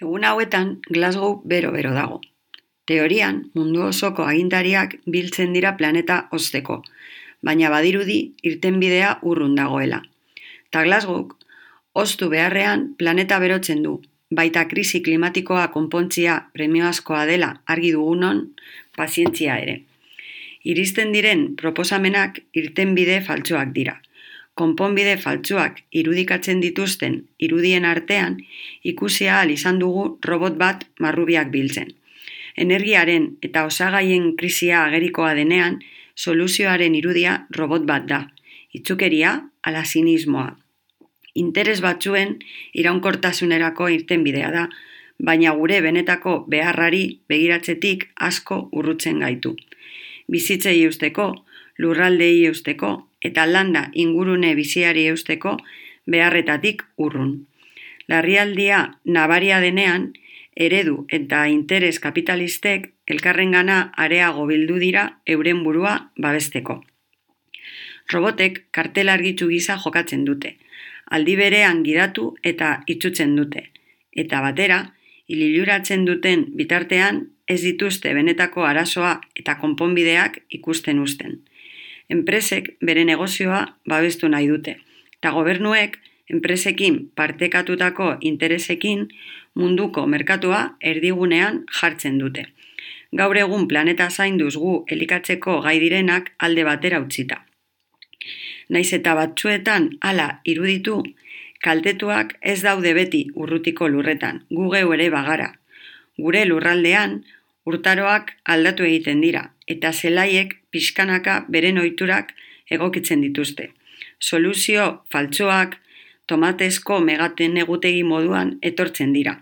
Egun hauetan Glasgow bero-bero dago. Teorian, mundu osoko agintariak biltzen dira planeta hozteko, baina badirudi irtenbidea urrun dagoela. Ta Glasgow, hoztu beharrean planeta berotzen du, baita krisi klimatikoa konpontzia premiazkoa dela argi dugunon, pazientzia ere. Iristen diren proposamenak irtenbide faltsuak dira. Konponbide faltsuak irudikatzen dituzten irudien artean ikusi ahal izan dugu robot bat marrubiak biltzen. Energiaren eta osagaien krisia agerikoa denean, soluzioaren irudia robot bat da. Itzukeria ala sinismoa. Interes batzuen iraunkortasunerako irtenbidea da, baina gure benetako beharrari begiratzetik asko urrutzen gaitu. Bizitzei eusteko, lurraldei eusteko eta landa ingurune biziari eusteko beharretatik urrun. Larrialdia nabaria denean, eredu eta interes kapitalistek elkarrengana areago bildu dira euren burua babesteko. Robotek kartel argitsu gisa jokatzen dute, aldi berean gidatu eta itsutzen dute, eta batera, ililuratzen duten bitartean ez dituzte benetako arazoa eta konponbideak ikusten uzten. Enpresek bere negozioa babestu nahi dute, eta gobernuek enpresekin partekatutako interesekin munduko merkatua erdigunean jartzen dute. Gaur egun planeta zainduz gu elikatzeko gai direnak alde batera utzita. Naiz eta batzuetan hala iruditu, kaltetuak ez daude beti urrutiko lurretan, gu geu ere bagara. Gure lurraldean, urtaroak aldatu egiten dira, eta zelaiek pixkanaka beren ohiturak egokitzen dituzte. Soluzio faltsuak tomatezko megaten egutegi moduan etortzen dira.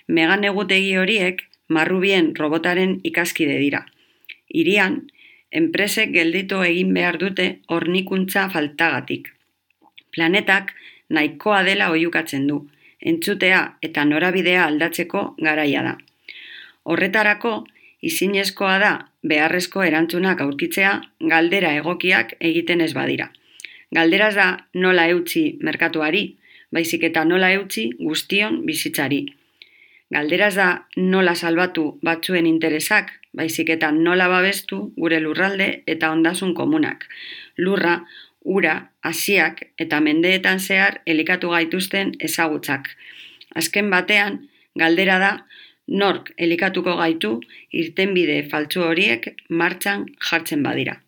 Megan egutegi horiek marrubien robotaren ikaskide dira. Hirian, enpresek gelditu egin behar dute hornikuntza faltagatik. Planetak nahikoa dela oihukatzen du, entzutea eta norabidea aldatzeko garaia da. Horretarako, izinezkoa da beharrezko erantzunak aurkitzea galdera egokiak egiten ez badira. Galderaz da nola eutsi merkatuari, baizik eta nola eutsi guztion bizitzari. Galderaz da nola salbatu batzuen interesak, baizik eta nola babestu gure lurralde eta ondasun komunak. Lurra, ura, hasiak eta mendeetan zehar elikatu gaituzten ezagutzak. Azken batean, galdera da nork elikatuko gaitu irtenbide faltsu horiek martxan jartzen badira.